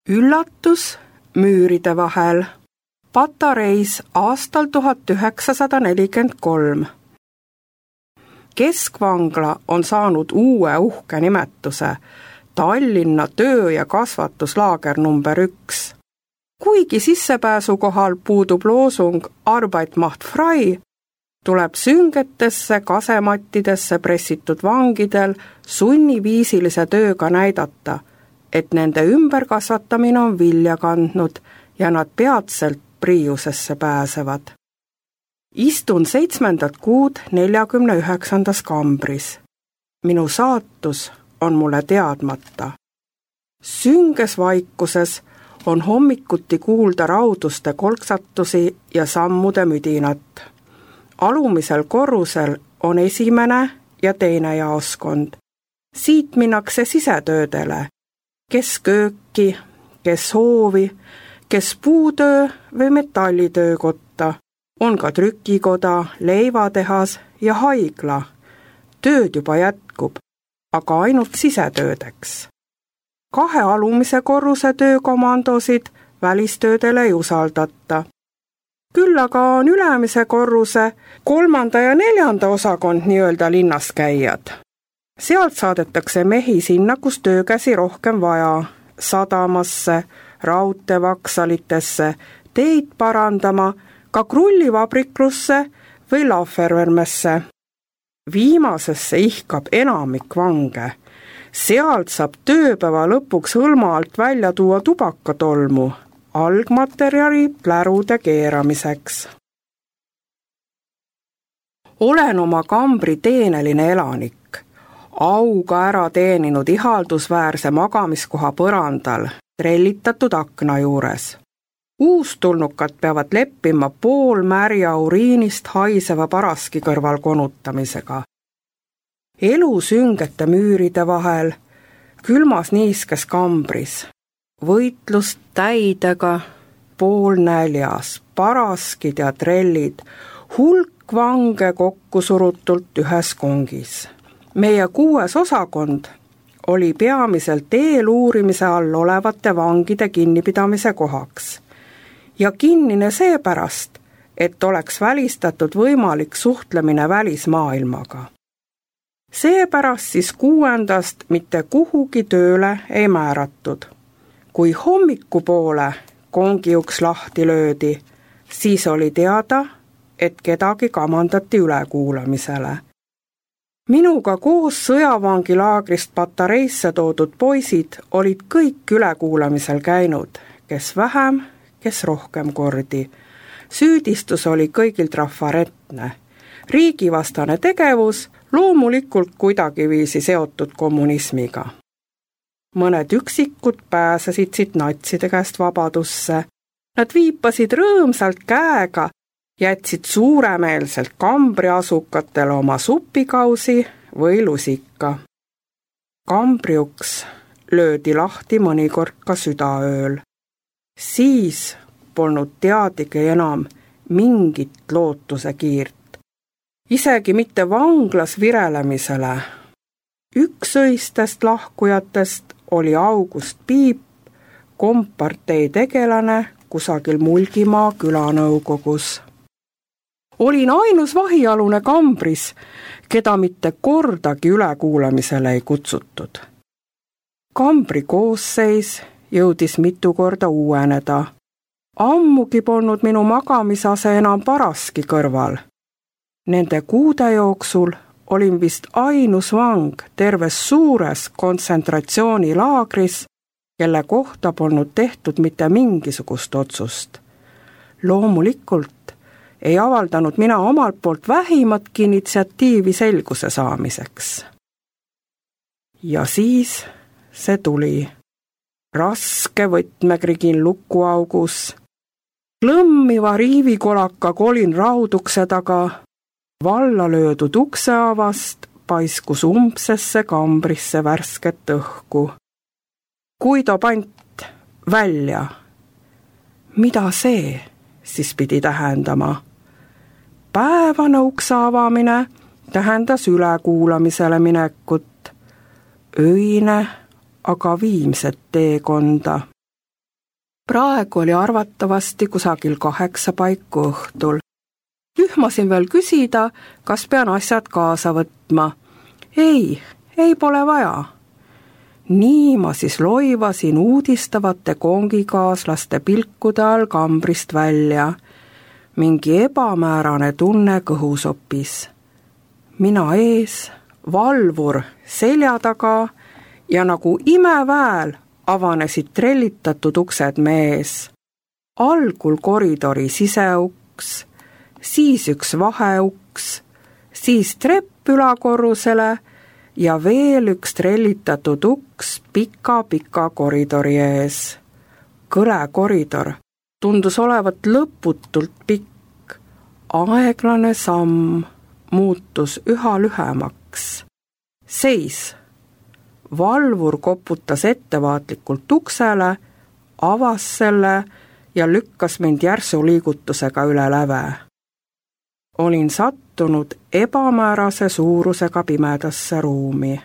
Üllatus müüride vahel. Patareis aastal 1943. Keskvangla on saanud uue uhke nimetuse Tallinna töö- ja kasvatuslaager number 1. Kuigi sissepääsu kohal puudub loosung Arbeit macht frei, tuleb süngetesse kasemattidesse pressitud vangidel sunniviisilise tööga näidata, et nende ümberkasvatamine on vilja kandnud ja nad peatselt Priiusesse pääsevad. Istun 7. kuud 49. kambris. Minu saatus on mulle teadmata. Sünges vaikuses on hommikuti kuulda rauduste kolksatusi ja sammude müdinat. Alumisel korrusel on esimene ja teine jaoskond. Siit minnakse sisetöödele, kes kööki, kes hoovi, kes puutöö või metallitöökotta, on ka trükikoda, leivatehas ja haigla. Tööd juba jätkub, aga ainult sisetöödeks. 2 alumise korruse töökomandosid välistöödele ei usaldata. Küll aga on ülemise korruse 3. ja 4. osakond nii-öelda linnas käijad. Sealt saadetakse mehi sinna, kus töökäsi rohkem vaja, sadamasse, raudteevaksalitesse, teid parandama, ka krullivabriklusse või Lafervermesse. Viimasesse ihkab enamik vange. Sealt saab tööpäeva lõpuks hõlma alt välja tuua tubakatolmu, algmaterjali plärude keeramiseks. Olen oma kambri teeneline elanik, auga ära teeninud ihaldusväärse magamiskoha põrandal, trellitatud akna juures. Uustulnukad peavad leppima poolmärja uriinist haiseva paraski kõrval konutamisega. Elu süngete müüride vahel, külmas niiskes kambris, võitlus täidega, poolnäljas, paraskid ja trellid, hulk vange kokku surutult ühes kongis. Meie 6. osakond oli peamiselt eeluurimise all olevate vangide kinnipidamise kohaks ja kinnine seepärast, et oleks välistatud võimalik suhtlemine välismaailmaga. Seepärast siis 6. mitte kuhugi tööle ei määratud. Kui hommikupoole kongi uks lahti löödi, siis oli teada, et kedagi kamandati ülekuulamisele. Minuga koos sõjavangilaagrist Patareisse toodud poisid olid kõik ülekuulamisel käinud, kes vähem, kes rohkem kordi. Süüdistus oli kõigil trafaretne. Riigivastane tegevus loomulikult kuidagiviisi seotud kommunismiga. Mõned üksikud pääsesid siit natside käest vabadusse. Nad viipasid rõõmsalt käega, jätsid suuremeelselt kambriasukatele oma supikausi või lusika. Kambriuks löödi lahti mõnikord ka südaööl. Siis polnud teadagi enam mingit lootuse kiirt. Isegi mitte vanglas virelemisele. Üks öistest lahkujatest oli August Piip, kompartei tegelane kusagil Mulgimaa külanõukogus. Olin ainus vahialune kambris, keda mitte kordagi ülekuulamisele ei kutsutud. Kambri koosseis jõudis mitu korda uueneda. Ammugi polnud minu magamisase enam paraski kõrval. Nende kuude jooksul olin vist ainus vang terves suures kontsentratsioonilaagris, kelle kohta polnud tehtud mitte mingisugust otsust. Loomulikult ei avaldanud mina omalt poolt vähimatki initsiatiivi selguse saamiseks. Ja siis see tuli. Raske võtmekrigin lukuaugus, klõmmiva riivikolaka kolin raudukse taga, valla löödud ukseavast paiskus umbsesse kambrisse värsket õhku. Guido Pant, välja! Mida see siis pidi tähendama? Päevane ukse avamine tähendas ülekuulamisele minekut, öine aga viimset teekonda. praegu oli arvatavasti kusagil 8 paiku õhtul. Ühmasin veel küsida, kas pean asjad kaasa võtma. Ei pole vaja. Nii ma siis loivasin uudistavate kongikaaslaste pilkude all kambrist välja. Mingi ebamäärane tunne kõhusopis. Mina ees, valvur selja taga ja nagu imeväel avanesid trellitatud uksed mees. Algul koridori siseuks, siis üks vaheuks, siis trepp ülakorrusele ja veel üks trellitatud uks pika koridori ees. Kõle koridor tundus olevat lõputult pikk. Aeglane samm muutus üha lühemaks. Seis. Valvur koputas ettevaatlikult uksele, avas selle ja lükkas mind järsu liigutusega üle läve. Olin sattunud ebamäärase suurusega pimedasse ruumi.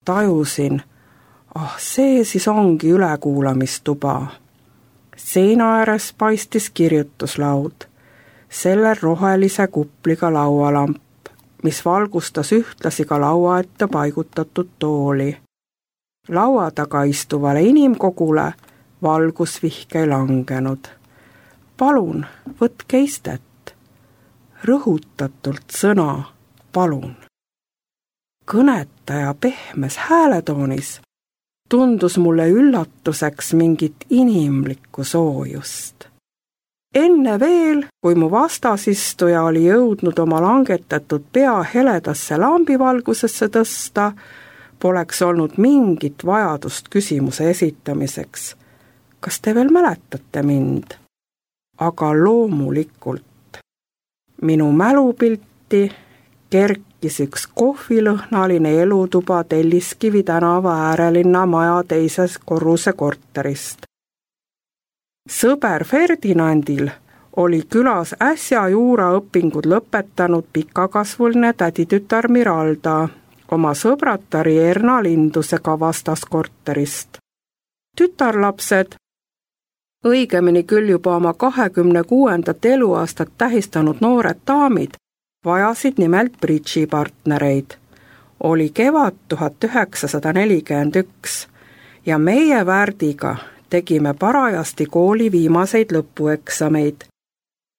Tajusin, see siis ongi ülekuulamistuba. Seina ääres paistis kirjutuslaud, sellel rohelise kupliga laualamp, mis valgustas ühtlasi ka laua ette paigutatud tooli. Laua taga istuvale inimkogule valgusvihk ei langenud. Palun, võtke istet. Rõhutatult sõna palun. Kõnetaja pehmes hääletoonis tundus mulle üllatuseks mingit inimlikku soojust. Enne veel, kui mu vastasistuja oli jõudnud oma langetatud pea heledasse lambivalgusesse tõsta, poleks olnud mingit vajadust küsimuse esitamiseks. Kas te veel mäletate mind? Aga loomulikult. Minu mälupilti kerkis üks kohvilõhnaline elutuba Telliskivi tänava äärelinna maja teises korruse korterist. Sõber Ferdinandil oli külas äsja juuraõpingud lõpetanud pikakasvuline täditütar Miralda oma sõbratari Erna Lindusega vastaskorterist. Tütarlapsed, õigemini küll juba oma 26. eluaastat tähistanud noored daamid, vajasid nimelt bridžipartnereid. Oli kevad 1941 ja meie Värdiga tegime parajasti kooli viimaseid lõpueksameid.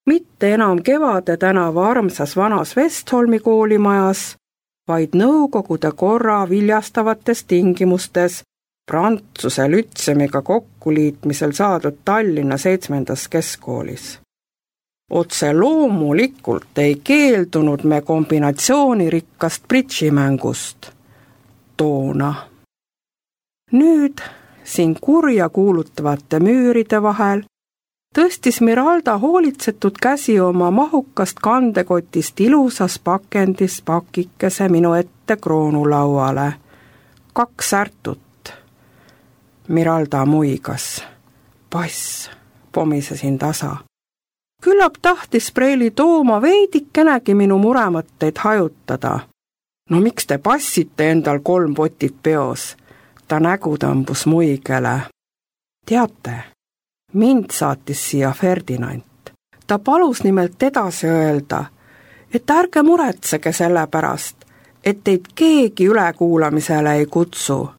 Mitte enam Kevade tänava armsas vanas Vestholmi koolimajas, vaid Nõukogude korra viljastavates tingimustes Prantsuse lütsemiga kokkuliitmisel saadud Tallinna 7. keskkoolis. Otse loomulikult ei keeldunud me kombinatsioonirikkast bridžimängust. Toona. Nüüd, siin kurja kuulutavate müüride vahel, tõstis Miralda hoolitsetud käsi oma mahukast kandekotist ilusas pakendis pakikese minu ette kroonulauale. 2 särtut. Miralda muigas. Pass, pomisesin tasa. Küllap tahtis Preili Tooma veidikenegi minu muremõtteid hajutada. No miks te passite endal 3 potit peos? Ta nägu tõmbus muigele. Teate, mind saatis siia Ferdinand. Ta palus nimelt edasi öelda, et ärge muretsege selle pärast, et teid keegi ülekuulamisele ei kutsu.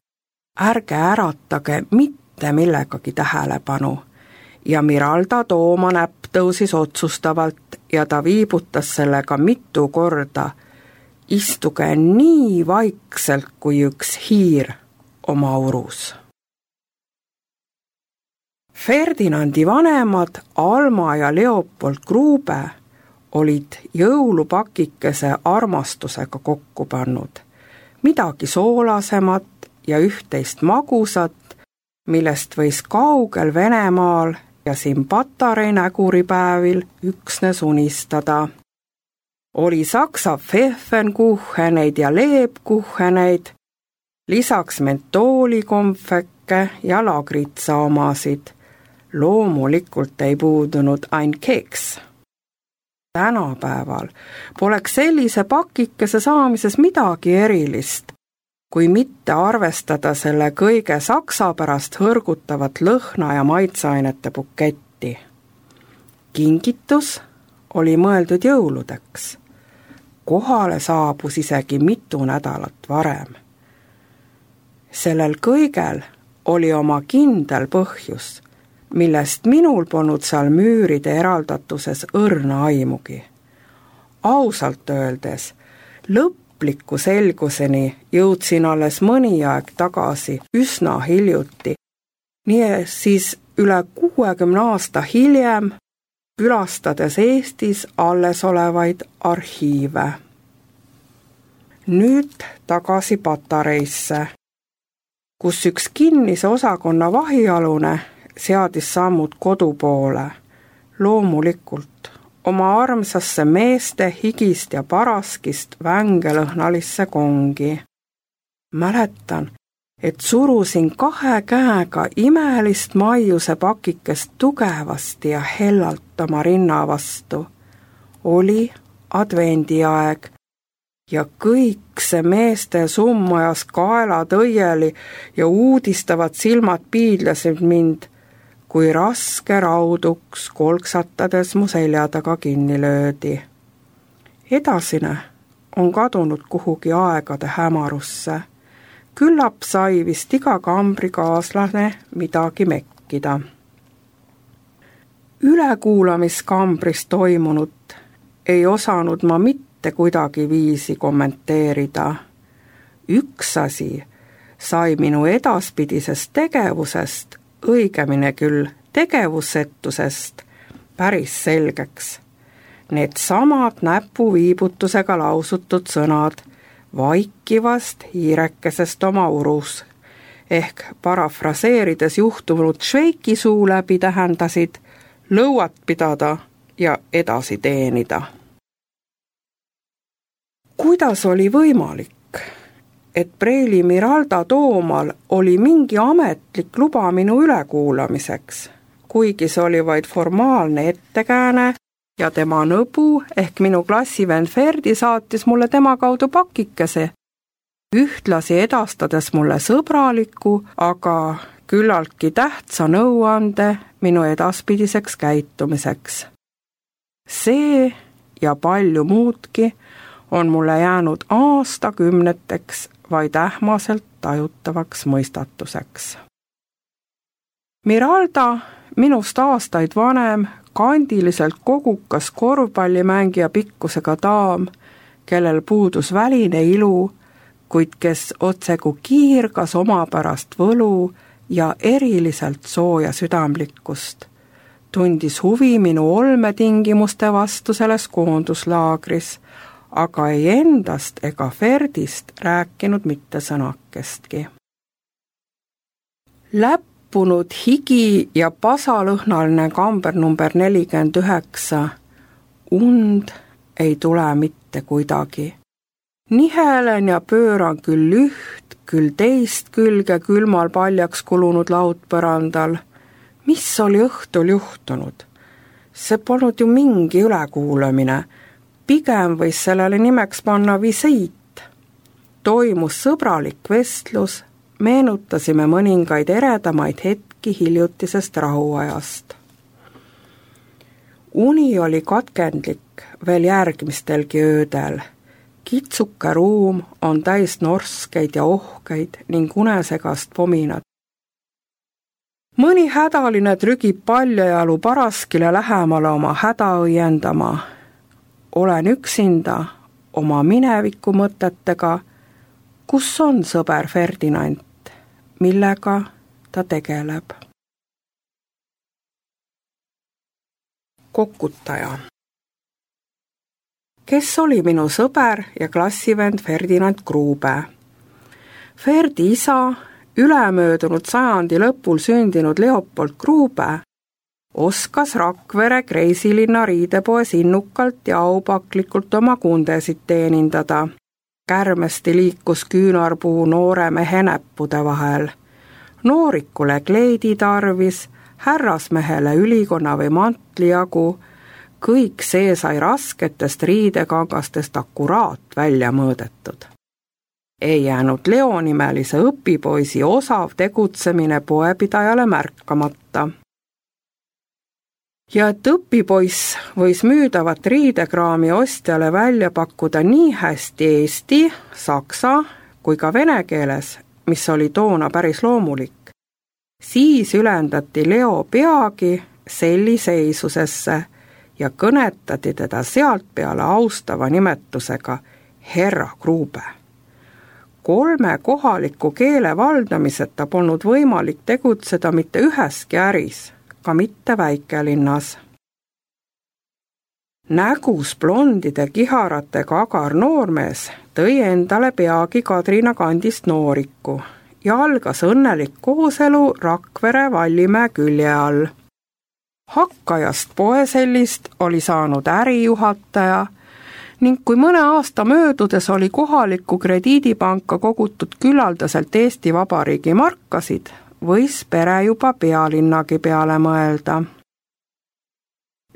Ärge äratage mitte millegagi tähelepanu. Ja Miralda Tooma näpp tõusis otsustavalt ja ta viibutas sellega mitu korda. Istuge nii vaikselt kui üks hiir oma urus. Ferdinandi vanemad Alma ja Leopold Grube olid jõulupakikese armastusega kokku pannud. Midagi soolasemat ja üht-teist magusat, millest võis kaugel Venemaal ja siin Patarei näguripäevil üksnes unistada. Oli saksa Pfeffenkucheneid ja leebkucheneid, lisaks mentoolikonfekke ja lagritsa omasid. Loomulikult ei puudunud ain keks. Tänapäeval poleks sellise pakikese saamises midagi erilist. kui mitte arvestada selle kõige saksa pärast hõrgutavat lõhna ja maitseainete buketti. Kingitus oli mõeldud jõuludeks. Kohale saabus isegi mitu nädalat varem. Sellel kõigel oli oma kindel põhjus, millest minul polnud seal müüride eraldatuses õrna aimugi. Ausalt öeldes, lõpliku selguseni jõudsin alles mõni aeg tagasi üsna hiljuti, nii siis üle 60 aasta hiljem, külastades Eestis alles olevaid arhiive. Nüüd tagasi Patareisse, kus üks kinnise osakonna vahialune seadis sammud kodu poole, loomulikult oma armsasse meeste higist ja paraskist vängelõhnalisse kongi. Mäletan, et surusin 2 käega imelist maiuse pakikest tugevasti ja hellalt oma rinna vastu. Oli advendiaeg ja kõik see meeste summ ajas kaelad õieli ja uudistavad silmad piidlesid mind, kui raske rauduks kolksatades mu selja taga kinni löödi. Edasine on kadunud kuhugi aegade hämarusse. Küllap sai vist iga kambrikaaslane midagi mekkida. Ülekuulamiskambris toimunut ei osanud ma mitte kuidagi viisi kommenteerida. Üks asi sai minu edaspidisest tegevusest, õigemini küll tegevusetusest, päris selgeks. Need samad näpuviibutusega lausutud sõnad vaikivast hiirekesest oma urus, ehk parafraseerides juhtunud Šveiki suu läbi tähendasid lõuat pidada ja edasi teenida. Kuidas oli võimalik, et Preili Miralda Toomal oli mingi ametlik luba minu ülekuulamiseks, kuigi see oli vaid formaalne ettekääne ja tema nõbu ehk minu klassivend Ferdi saatis mulle tema kaudu pakikese, ühtlasi edastades mulle sõbraliku, aga küllaltki tähtsa nõuande minu edaspidiseks käitumiseks. See ja palju muudki on mulle jäänud aastakümneteks vaid ähmaselt tajutavaks mõistatuseks. Miralda, minust aastaid vanem, kandiliselt kogukas korvpallimängija pikkusega daam, kellel puudus väline ilu, kuid kes otsegu kiirgas omapärast võlu ja eriliselt sooja südamlikkust, tundis huvi minu olmetingimuste vastu selles koonduslaagris, aga ei endast ega Ferdist rääkinud mitte sõnakestki. Läppunud higi ja pasalõhnaline kamber number 49, und ei tule mitte kuidagi. Nihelen ja pööran küll üht, küll teist külge külmal paljaks kulunud laudpõrandal. Mis oli õhtul juhtunud? See polnud ju mingi ülekuulamine, pigem võis sellele nimeks panna visiit. Toimus sõbralik vestlus, meenutasime mõningaid eredamaid hetki hiljutisest rahuajast. Uni oli katkendlik veel järgmistelgi öödel. Kitsuke ruum on täis norskeid ja ohkeid ning unesegast pominat. Mõni hädaline trügib paljajalu paraskile lähemale oma häda õiendama. Olen üksinda oma mineviku mõtetega, kus on sõber Ferdinand, millega ta tegeleb. Kokutaja. Kes oli minu sõber ja klassivend Ferdinand Grube? Ferdi isa, ülemöödunud sajandi lõpul sündinud Leopold Grube, oskas Rakvere Kreisilinna riidepoes innukalt ja aupaklikult oma kundesid teenindada. Kärmesti liikus küünarpuu noore mehe näppude vahel. Noorikule kleidi tarvis, härrasmehele ülikonna või mantli jagu, kõik see sai rasketest riidekangastest akkuraat välja mõõdetud. ei jäänud Leo nimelise õpipoisi osav tegutsemine poepidajale märkamata. Ja et õpipoiss võis müüdavat riidekraami ostjale välja pakkuda nii hästi eesti, saksa kui ka vene keeles, mis oli toona päris loomulik, siis ülendati Leo peagi selliseisusesse ja kõnetati teda sealt peale austava nimetusega Herra Grube. 3 kohaliku keele valdamiseta polnud võimalik tegutseda mitte üheski äris, ka mitte väikelinnas. Nägus blondide kiharatega agar noormees tõi endale peagi Kadrina kandist nooriku ja algas õnnelik kooselu Rakvere Vallimäe külje all. Hakkajast poesellist oli saanud ärijuhataja ning kui mõne aasta möödudes oli kohalikku krediidipanka kogutud küllaldaselt Eesti Vabariigi markasid, võis pere juba pealinnagi peale mõelda.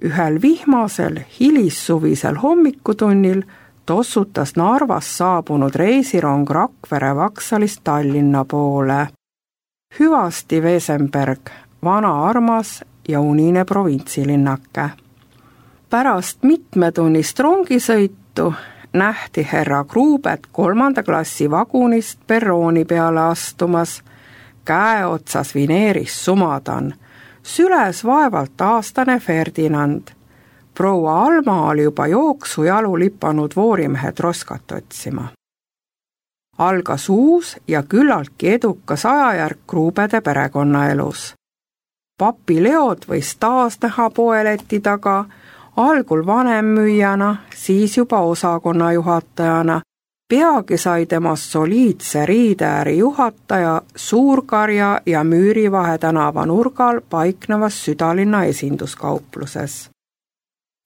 Ühel vihmasel hilissuvisel hommikutunnil tossutas Narvast saabunud reisirong Rakvere Vaksalist Tallinna poole. Hüvasti Wesenberg, vana armas ja unine provintsilinnake. Pärast mitmetunnist rongisõitu nähti Herra Grubet 3. klassi vagunist perrooni peale astumas, käe otsas vineeris sumadan, süles vaevalt aastane Ferdinand. Proua Alma oli juba jooksujalu lipanud voorimehe Troskat otsima. Algas uus ja küllaltki edukas ajajärk Grubede perekonnaelus. Papi Leod võis taas näha poeleti taga, algul vanemmüüjana, siis juba osakonna juhatajana. Peagi sai temast soliidse riideäri juhataja Suurkarja ja Müürivahe tänava nurgal paiknevas südalinna esinduskaupluses.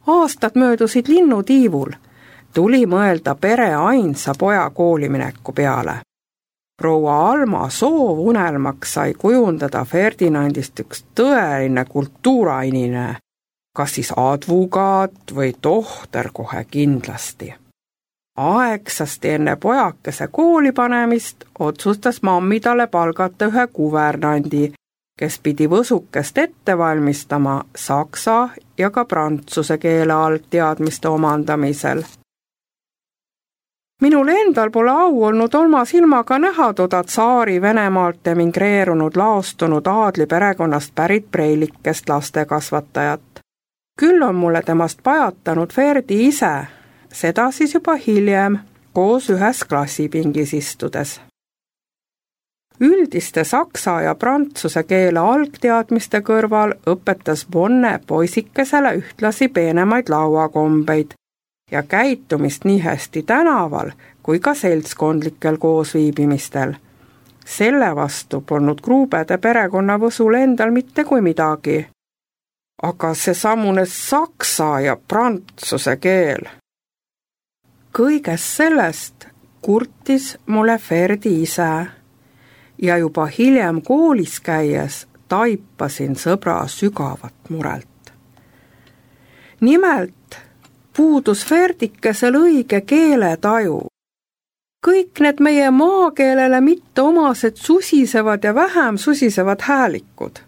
Aastad möödusid linnutiivul, tuli mõelda pere ainsa poja koolimineku peale. Proua Alma soovunelmaks sai kujundada Ferdinandist üks tõeline kultuurainine, kas siis advokaat või tohter kohe kindlasti. Aegsasti enne pojakese kooli panemist otsustas mammi talle palgata ühe kuvernandi, kes pidi võsukest ette valmistama saksa ja ka prantsuse keele algteadmiste omandamisel. Minul endal pole au olnud oma silmaga näha toda tsaari Venemaalt emigreerunud laostunud aadli perekonnast pärit preilikest lastekasvatajat. Küll on mulle temast pajatanud Ferdi ise, seda siis juba hiljem, koos ühes klassipingis istudes. Üldiste saksa ja prantsuse keele algteadmiste kõrval õpetas Bonne poisikesele ühtlasi peenemaid lauakombeid ja käitumist nii hästi tänaval kui ka seltskondlikel koosviibimistel. Selle vastu polnud Grubede perekonnavõsul endal mitte kui midagi. Aga seesamune saksa ja prantsuse keel. Kõigest sellest kurtis mulle Ferdi ise ja juba hiljem koolis käies taipasin sõbra sügavat murelt. Nimelt puudus Ferdikesel õige keeletaju. Kõik need meie maakeelele mitte omased susisevad ja vähem susisevad häälikud.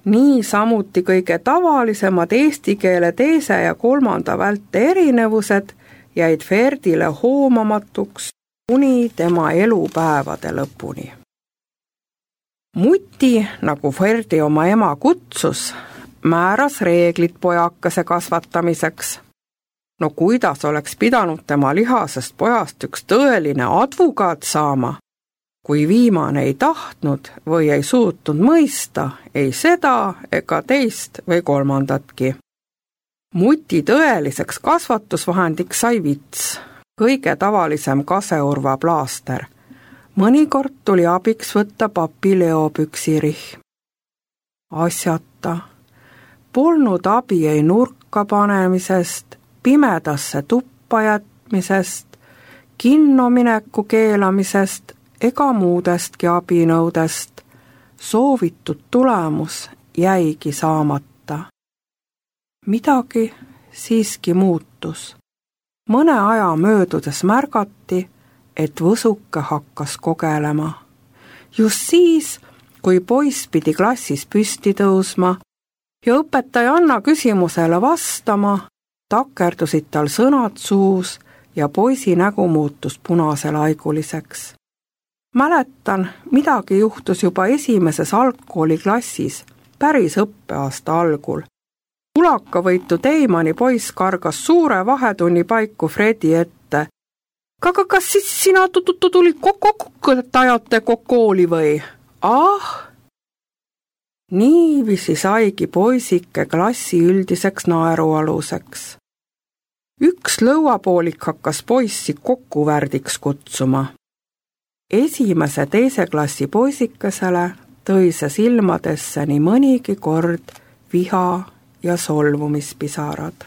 Nii samuti kõige tavalisemad eesti keele 2. ja 3. välte erinevused jäid Ferdile hoomamatuks kuni tema elupäevade lõpuni. Muti, nagu Ferdi oma ema kutsus, määras reeglid pojakese kasvatamiseks. No kuidas oleks pidanud tema lihasest pojast üks tõeline advokaat saama, kui viimane ei tahtnud või ei suutnud mõista ei seda ega teist või kolmandatki. Muti tõeliseks kasvatusvahendiks sai vits, kõige tavalisem kaseurva plaaster. Mõnikord tuli abiks võtta papi Leo püksirihm. Asjata, polnud abi ei nurka panemisest, pimedasse tuppa jätmisest, kinnomineku keelamisest ega muudestki abinõudest. Soovitud tulemus jäigi saamata. Midagi siiski muutus. Mõne aja möödudes märgati, et võsuke hakkas kogelema. Just siis, kui poiss pidi klassis püsti tõusma ja õpetaja Anna küsimusele vastama, takerdusid tal sõnad suus ja poisi nägu muutus punaselaiguliseks. Mäletan, midagi juhtus juba esimeses algkooliklassis, päris õppeaasta algul. Ulakavõitu Teimani poiss kargas suure vahetunni paiku Fredi ette. Kas siis sina tulid ajate kooli või? Niiviisi saigi poisike klassi üldiseks naerualuseks. Üks lõuapoolik hakkas poissi kokkuvärdiks kutsuma. Esimese teise klassi poisikesele tõi see silmadesse nii mõnigi kord viha ja solvumispisarad.